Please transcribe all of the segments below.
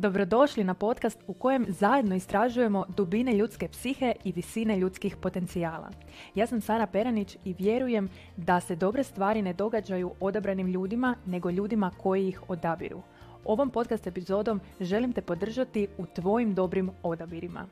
Dobrodošli na podcast u kojem zajedno istražujemo dubine ljudske psihe i visine ljudskih potencijala. Ja sam Sara Peranić i vjerujem da se dobre stvari ne događaju odabranim ljudima, nego ljudima koji ih odabiru. Ovom podcast epizodom želim te podržati u tvojim dobrim odabirima.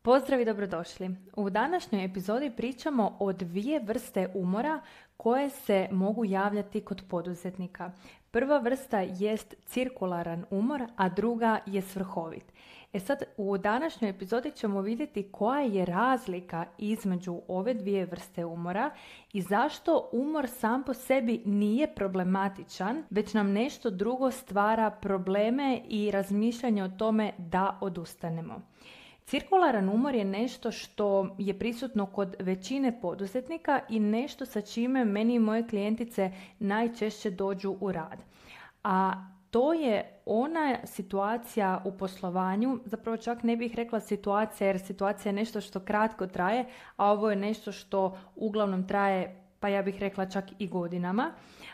Pozdrav i dobrodošli. U današnjoj epizodi pričamo o dvije vrste umora koje se mogu javljati kod poduzetnika. Prva vrsta jest cirkularan umor, a druga je svrhovit. Sad, u današnjoj epizodi ćemo vidjeti koja je razlika između ove dvije vrste umora i zašto umor sam po sebi nije problematičan, već nam nešto drugo stvara probleme i razmišljanje o tome da odustanemo. Cirkularan umor je nešto što je prisutno kod većine poduzetnika i nešto sa čime meni i moje klijentice najčešće dođu u rad. A to je ona situacija u poslovanju, zapravo čak ne bih rekla situacija jer situacija je nešto što kratko traje, a ovo je nešto što uglavnom traje, pa ja bih rekla čak i godinama.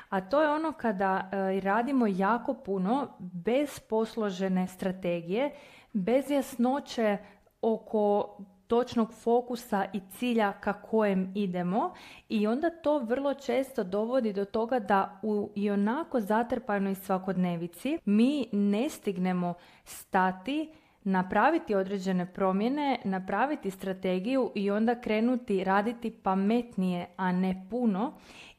A to je ono kada radimo jako puno bez posložene strategije, bez jasnoće oko točnog fokusa i cilja ka kojem idemo i onda to vrlo često dovodi do toga da u ionako zatrpanoj svakodnevici mi ne stignemo stati, napraviti određene promjene, napraviti strategiju i onda krenuti raditi pametnije, a ne puno.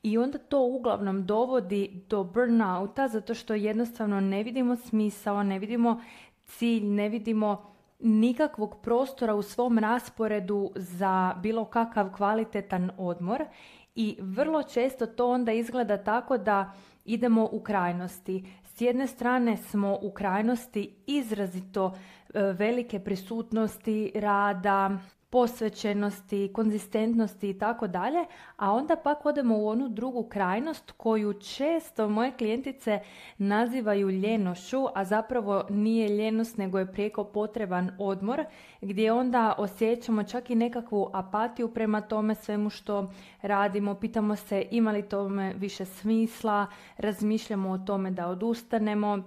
I onda to uglavnom dovodi do burnouta zato što jednostavno ne vidimo smisao, ne vidimo cilj, ne vidimo nikakvog prostora u svom rasporedu za bilo kakav kvalitetan odmor i vrlo često to onda izgleda tako da idemo u krajnosti. S jedne strane smo u krajnosti izrazito velike prisutnosti rada, posvećenosti, konzistentnosti i tako dalje, a onda pak odemo u onu drugu krajnost koju često moje klijentice nazivaju ljenošću, a zapravo nije ljenost nego je prijeko potreban odmor, gdje onda osjećamo čak i nekakvu apatiju prema tome svemu što radimo, pitamo se ima li tome više smisla, razmišljamo o tome da odustanemo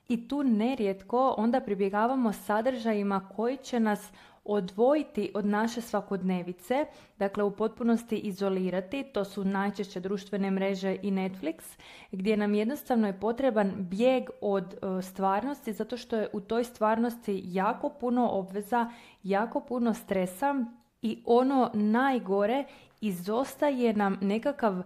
i tu nerijetko onda pribjegavamo sadržajima koji će nas odvojiti od naše svakodnevice, dakle u potpunosti izolirati, to su najčešće društvene mreže i Netflix, gdje nam jednostavno je potreban bijeg od stvarnosti, zato što je u toj stvarnosti jako puno obveza, jako puno stresa i ono najgore, izostaje nam nekakav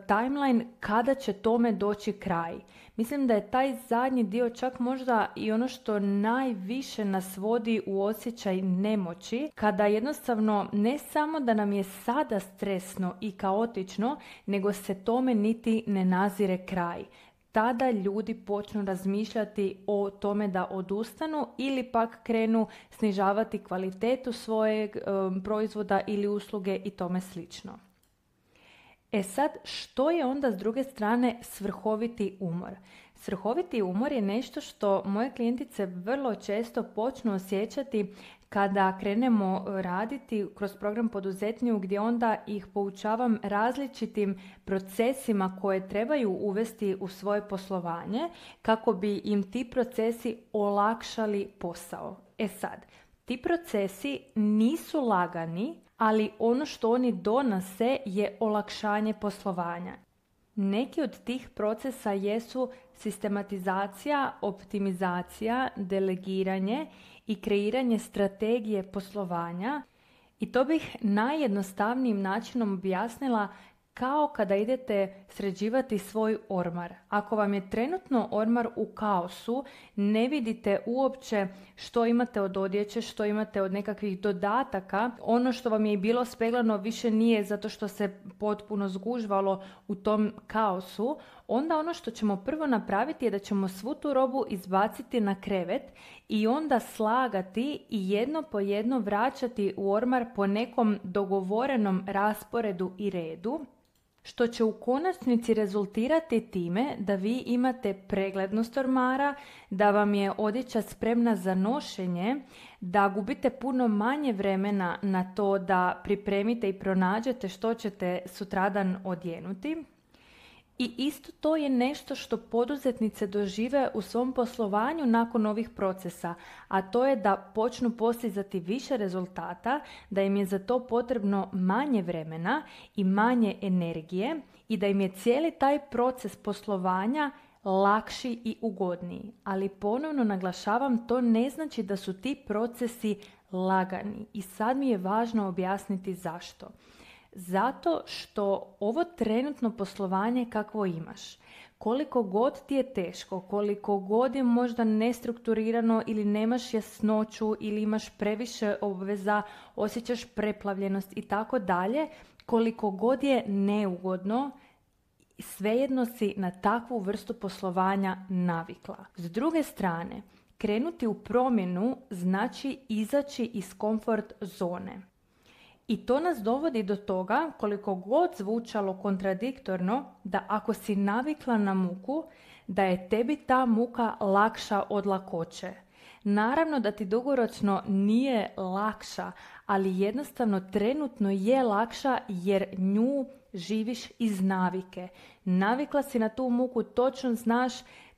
timeline kada će tome doći kraj. Mislim da je taj zadnji dio čak možda i ono što najviše nas vodi u osjećaj nemoći, kada jednostavno ne samo da nam je sada stresno i kaotično, nego se tome niti ne nazire kraj. Tada ljudi počnu razmišljati o tome da odustanu ili pak krenu snižavati kvalitetu svojeg proizvoda ili usluge i tome slično. Sad, što je onda s druge strane svrhoviti umor? Svrhoviti umor je nešto što moje klijentice vrlo često počnu osjećati kada krenemo raditi kroz program Poduzetniju, gdje onda ih poučavam različitim procesima koje trebaju uvesti u svoje poslovanje kako bi im ti procesi olakšali posao. Sad, ti procesi nisu lagani, ali ono što oni donose je olakšanje poslovanja. Neki od tih procesa jesu sistematizacija, optimizacija, delegiranje i kreiranje strategije poslovanja i to bih najjednostavnijim načinom objasnila kao kada idete sređivati svoj ormar. Ako vam je trenutno ormar u kaosu, ne vidite uopće što imate od odjeće, što imate od nekakvih dodataka, ono što vam je i bilo speglano više nije zato što se potpuno zgužvalo u tom kaosu, onda ono što ćemo prvo napraviti je da ćemo svu tu robu izbaciti na krevet i onda slagati i jedno po jedno vraćati u ormar po nekom dogovorenom rasporedu i redu, što će u konačnici rezultirati time da vi imate preglednost ormara, da vam je odjeća spremna za nošenje, da gubite puno manje vremena na to da pripremite i pronađete što ćete sutradan odjenuti. I isto to je nešto što poduzetnice dožive u svom poslovanju nakon ovih procesa, a to je da počnu postizati više rezultata, da im je za to potrebno manje vremena i manje energije i da im je cijeli taj proces poslovanja lakši i ugodniji. Ali ponovno naglašavam, to ne znači da su ti procesi lagani i sad mi je važno objasniti zašto. Zato što ovo trenutno poslovanje kakvo imaš, koliko god ti je teško, koliko god je možda nestrukturirano ili nemaš jasnoću ili imaš previše obveza, osjećaš preplavljenost i tako dalje, koliko god je neugodno, svejedno si na takvu vrstu poslovanja navikla. S druge strane, krenuti u promjenu znači izaći iz komfort zone. I to nas dovodi do toga, koliko god zvučalo kontradiktorno, da ako si navikla na muku, da je tebi ta muka lakša od lakoće. Naravno da ti dugoročno nije lakša, ali jednostavno trenutno je lakša jer nju živiš iz navike. Navikla si na tu muku, točno znaš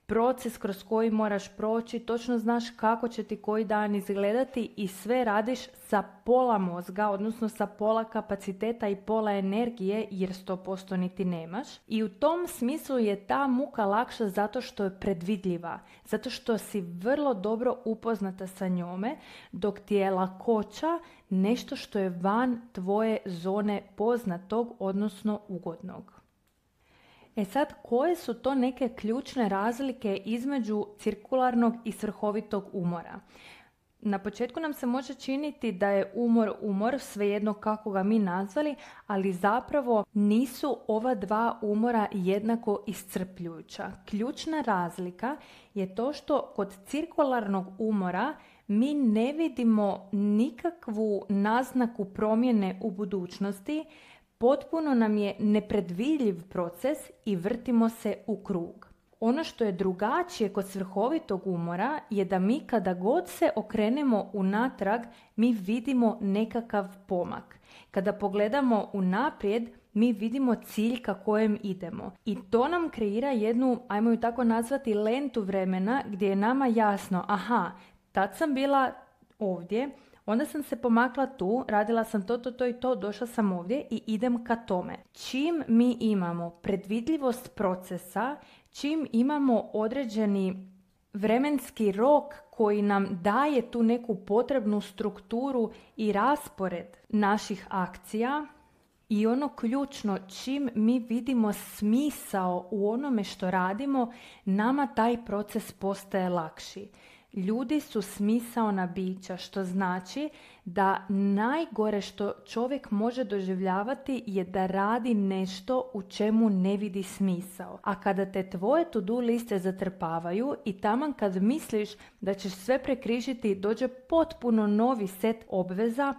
proces kroz koji moraš proći, točno znaš kako će ti koji dan izgledati i sve radiš sa pola mozga, odnosno sa pola kapaciteta i pola energije jer 100% niti nemaš. I u tom smislu je ta muka lakša zato što je predvidljiva, zato što si vrlo dobro upoznata sa njome, dok ti je lakoća nešto što je van tvoje zone poznatog, odnosno ugodnog. E sad, koje su to neke ključne razlike između cirkularnog i svrhovitog umora? Na početku nam se može činiti da je umor, svejedno kako ga mi nazvali, ali zapravo nisu ova dva umora jednako iscrpljujuća. Ključna razlika je to što kod cirkularnog umora mi ne vidimo nikakvu naznaku promjene u budućnosti, potpuno nam je nepredvidljiv proces i vrtimo se u krug. Ono što je drugačije kod svrhovitog umora je da mi kada god se okrenemo unatrag, mi vidimo nekakav pomak. Kada pogledamo unaprijed, mi vidimo cilj ka kojem idemo. I to nam kreira jednu, ajmo ju tako nazvati, lentu vremena gdje je nama jasno, aha, tad sam bila ovdje, onda sam se pomakla tu, radila sam to i to, došla sam ovdje i idem ka tome. Čim mi imamo predvidljivost procesa, čim imamo određeni vremenski rok koji nam daje tu neku potrebnu strukturu i raspored naših akcija, i ono ključno, čim mi vidimo smisao u onome što radimo, nama taj proces postaje lakši. Ljudi su smisaona bića, što znači da najgore što čovjek može doživljavati je da radi nešto u čemu ne vidi smisao. A kada te tvoje to-do liste zatrpavaju i taman kad misliš da ćeš sve prekrižiti, dođe potpuno novi set obveza,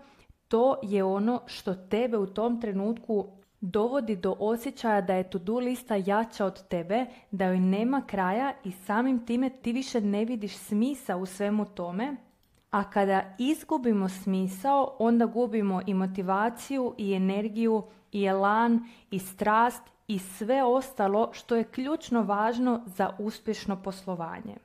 to je ono što tebe u tom trenutku dovodi do osjećaja da je to-do lista jača od tebe, da joj nema kraja i samim time ti više ne vidiš smisao u svemu tome. A kada izgubimo smisao, onda gubimo i motivaciju, i energiju, i elan, i strast, i sve ostalo što je ključno važno za uspješno poslovanje.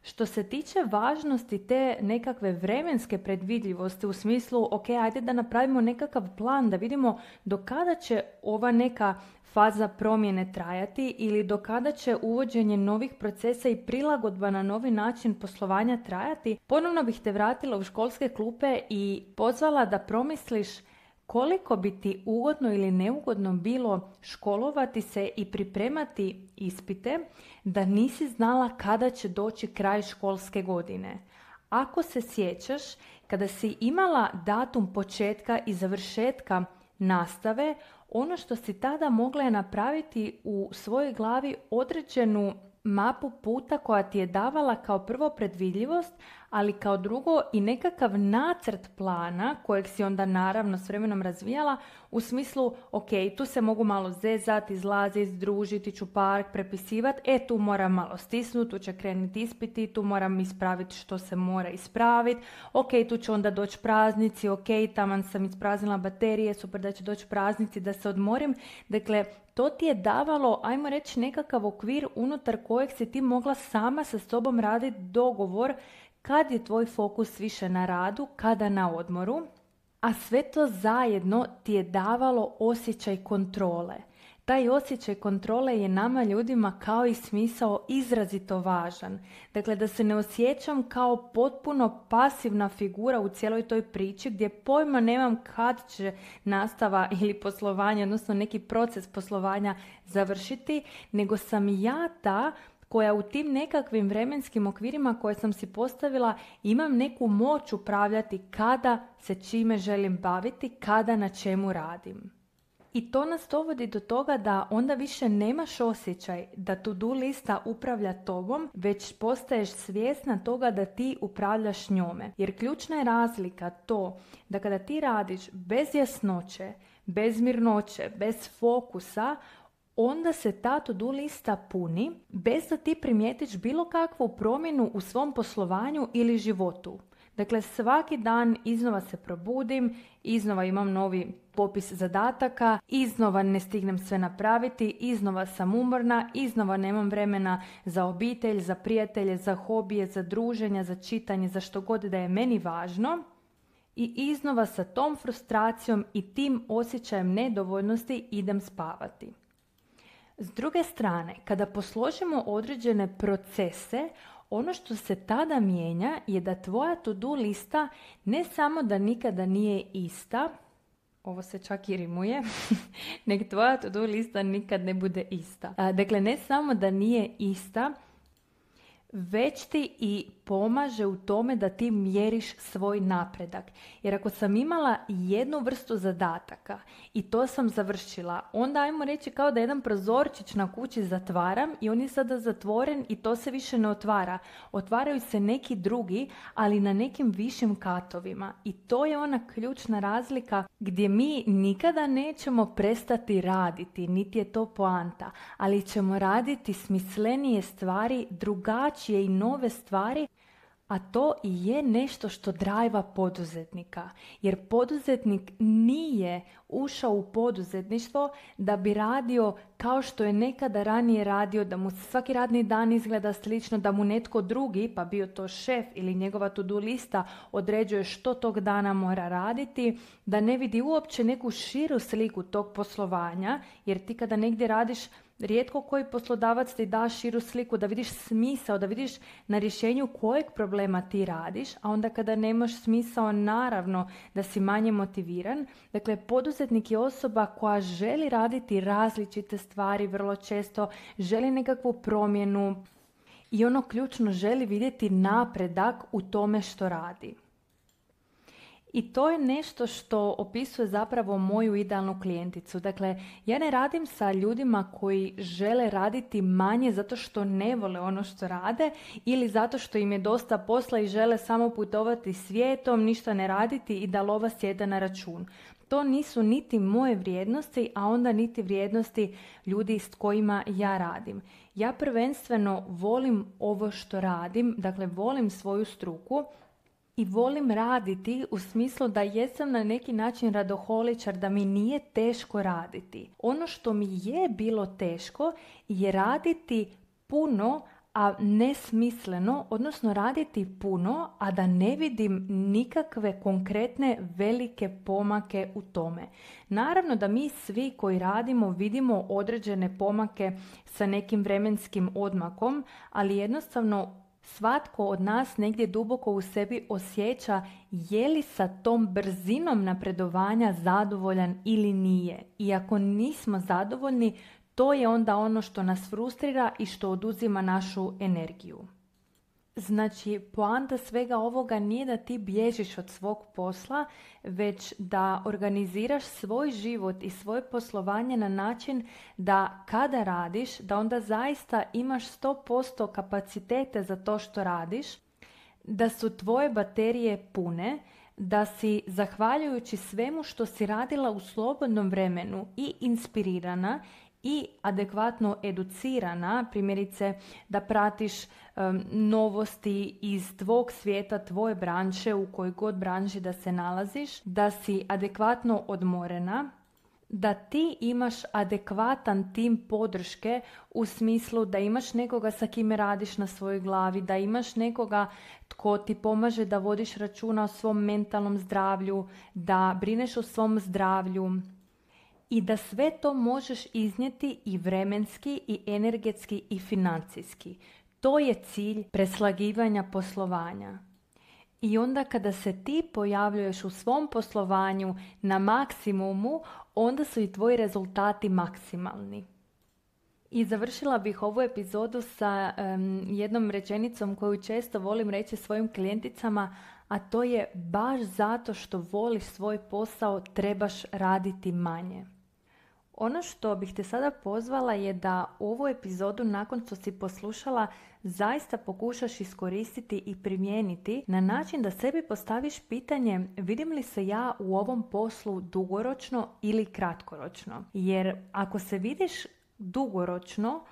Što se tiče važnosti te nekakve vremenske predvidljivosti u smislu, ok, ajde da napravimo nekakav plan, da vidimo do kada će ova neka faza promjene trajati ili do kada će uvođenje novih procesa i prilagodba na novi način poslovanja trajati, ponovno bih te vratila u školske klupe i pozvala da promisliš koliko bi ti ugodno ili neugodno bilo školovati se i pripremati ispite da nisi znala kada će doći kraj školske godine. Ako se sjećaš, kada si imala datum početka i završetka nastave, ono što si tada mogla je napraviti u svojoj glavi određenu mapu puta koja ti je davala kao prvo predvidljivost, ali kao drugo i nekakav nacrt plana kojeg si onda naravno s vremenom razvijala u smislu, ok, tu se mogu malo zezati, izlaziti, družiti, ću park, prepisivati, tu moram malo stisnuti, tu će krenuti ispiti, tu moram ispraviti što se mora ispraviti, ok, tu će onda doći praznici, ok, taman sam ispraznila baterije, super da će doći praznici, da se odmorim. Dakle, to ti je davalo, ajmo reći, nekakav okvir unutar kojeg si ti mogla sama sa sobom raditi dogovor kad je tvoj fokus više na radu, kada na odmoru, a sve to zajedno ti je davalo osjećaj kontrole. Taj osjećaj kontrole je nama ljudima kao i smisao izrazito važan. Dakle, da se ne osjećam kao potpuno pasivna figura u cijeloj toj priči gdje pojma nemam kad će nastava ili poslovanje, odnosno neki proces poslovanja završiti, nego sam ja ta koja u tim nekakvim vremenskim okvirima koje sam si postavila imam neku moć upravljati kada se čime želim baviti, kada na čemu radim. I to nas dovodi do toga da onda više nemaš osjećaj da to-do lista upravlja tobom, već postaješ svjesna toga da ti upravljaš njome. Jer ključna je razlika to da kada ti radiš bez jasnoće, bez mirnoće, bez fokusa, onda se ta to-do lista puni bez da ti primijetiš bilo kakvu promjenu u svom poslovanju ili životu. Dakle, svaki dan iznova se probudim, iznova imam novi popis zadataka, iznova ne stignem sve napraviti, iznova sam umorna, iznova nemam vremena za obitelj, za prijatelje, za hobije, za druženja, za čitanje, za što god da je meni važno. I iznova sa tom frustracijom i tim osjećajem nedovoljnosti idem spavati. S druge strane, kada posložimo određene procese, ono što se tada mijenja je da tvoja to-do lista ne samo da nikada nije ista, ovo se čak i rimuje, nek tvoja to-do lista nikad ne bude ista. Dakle, ne samo da nije ista, već ti i pomaže u tome da ti mjeriš svoj napredak. Jer ako sam imala jednu vrstu zadataka i to sam završila, onda ajmo reći kao da jedan prozorčić na kući zatvaram i on je sada zatvoren i to se više ne otvara. Otvaraju se neki drugi, ali na nekim višim katovima. I to je ona ključna razlika gdje mi nikada nećemo prestati raditi, niti je to poanta, ali ćemo raditi smislenije stvari, drugačije i nove stvari, a to i je nešto što drajva poduzetnika. Jer poduzetnik nije ušao u poduzetništvo da bi radio kao što je nekada ranije radio, da mu svaki radni dan izgleda slično, da mu netko drugi, pa bio to šef ili njegova to-do lista, određuje što tog dana mora raditi, da ne vidi uopće neku širu sliku tog poslovanja, jer ti kada negdje radiš, rijetko koji poslodavac ti da širu sliku, da vidiš smisao, da vidiš na rješenju kojeg problema ti radiš, a onda kada nemaš smisao, naravno da si manje motiviran. Dakle, poduzetnik je osoba koja želi raditi različite stvari, vrlo često želi nekakvu promjenu i ono ključno želi vidjeti napredak u tome što radi. I to je nešto što opisuje zapravo moju idealnu klijenticu. Dakle, ja ne radim sa ljudima koji žele raditi manje zato što ne vole ono što rade ili zato što im je dosta posla i žele samo putovati svijetom, ništa ne raditi i da lova sjeda na račun. To nisu niti moje vrijednosti, a onda niti vrijednosti ljudi s kojima ja radim. Ja prvenstveno volim ovo što radim, dakle volim svoju struku, i volim raditi u smislu da jesam na neki način radoholičar, da mi nije teško raditi. Ono što mi je bilo teško je raditi puno, a nesmisleno, odnosno raditi puno, a da ne vidim nikakve konkretne velike pomake u tome. Naravno da mi svi koji radimo vidimo određene pomake sa nekim vremenskim odmakom, ali jednostavno svatko od nas negdje duboko u sebi osjeća je li sa tom brzinom napredovanja zadovoljan ili nije. I ako nismo zadovoljni, to je onda ono što nas frustrira i što oduzima našu energiju. Znači, poanta svega ovoga nije da ti bježiš od svog posla, već da organiziraš svoj život i svoje poslovanje na način da kada radiš, da onda zaista imaš 100% kapacitete za to što radiš, da su tvoje baterije pune, da si zahvaljujući svemu što si radila u slobodnom vremenu i inspirirana i adekvatno educirana, primjerice da pratiš novosti iz tvog svijeta, tvoje branše, u kojoj god branši da se nalaziš, da si adekvatno odmorena, da ti imaš adekvatan tim podrške u smislu da imaš nekoga sa kime radiš na svojoj glavi, da imaš nekoga tko ti pomaže da vodiš računa o svom mentalnom zdravlju, da brineš o svom zdravlju i da sve to možeš iznijeti i vremenski i energetski i financijski. To je cilj preslagivanja poslovanja. I onda kada se ti pojavljuješ u svom poslovanju na maksimumu, onda su i tvoji rezultati maksimalni. I završila bih ovu epizodu sa jednom rečenicom koju često volim reći svojim klijenticama, a to je: baš zato što voliš svoj posao trebaš raditi manje. Ono što bih te sada pozvala je da ovu epizodu nakon što si poslušala zaista pokušaš iskoristiti i primijeniti na način da sebi postaviš pitanje: vidim li se ja u ovom poslu dugoročno ili kratkoročno? Jer ako se vidiš dugoročno,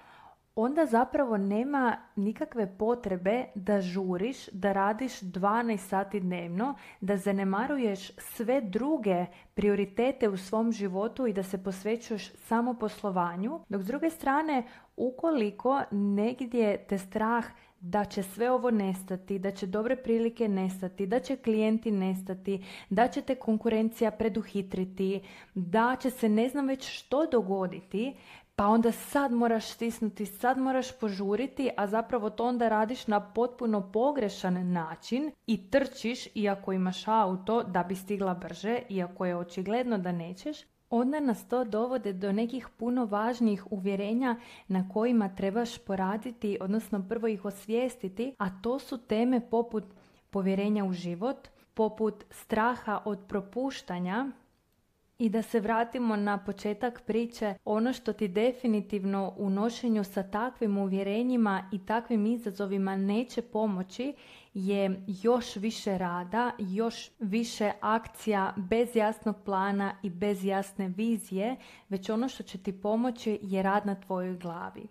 onda zapravo nema nikakve potrebe da žuriš, da radiš 12 sati dnevno, da zanemaruješ sve druge prioritete u svom životu i da se posvećuješ samo poslovanju. Dok s druge strane, ukoliko negdje te strah da će sve ovo nestati, da će dobre prilike nestati, da će klijenti nestati, da će te konkurencija preduhitriti, da će se ne znam već što dogoditi, pa onda sad moraš stisnuti, sad moraš požuriti, a zapravo to onda radiš na potpuno pogrešan način i trčiš, iako imaš auto, da bi stigla brže, iako je očigledno da nećeš, onda nas to dovode do nekih puno važnijih uvjerenja na kojima trebaš poraditi, odnosno prvo ih osvijestiti, a to su teme poput povjerenja u život, poput straha od propuštanja. I da se vratimo na početak priče, ono što ti definitivno u nošenju sa takvim uvjerenjima i takvim izazovima neće pomoći je još više rada, još više akcija bez jasnog plana i bez jasne vizije, već ono što će ti pomoći je rad na tvojoj glavi.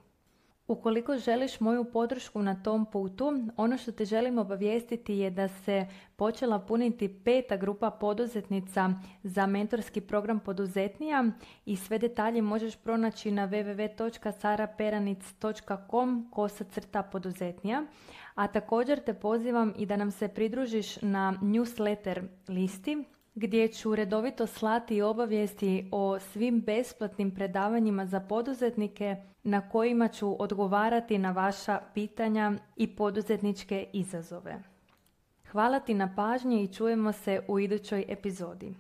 Ukoliko želiš moju podršku na tom putu, ono što te želim obavijestiti je da se počela puniti 5. grupa poduzetnica za mentorski program Poduzetnija i sve detalje možeš pronaći na www.saraperanic.com/poduzetnija. A također te pozivam i da nam se pridružiš na newsletter listi, gdje ću redovito slati obavijesti o svim besplatnim predavanjima za poduzetnike na kojima ću odgovarati na vaša pitanja i poduzetničke izazove. Hvala ti na pažnji i čujemo se u idućoj epizodi.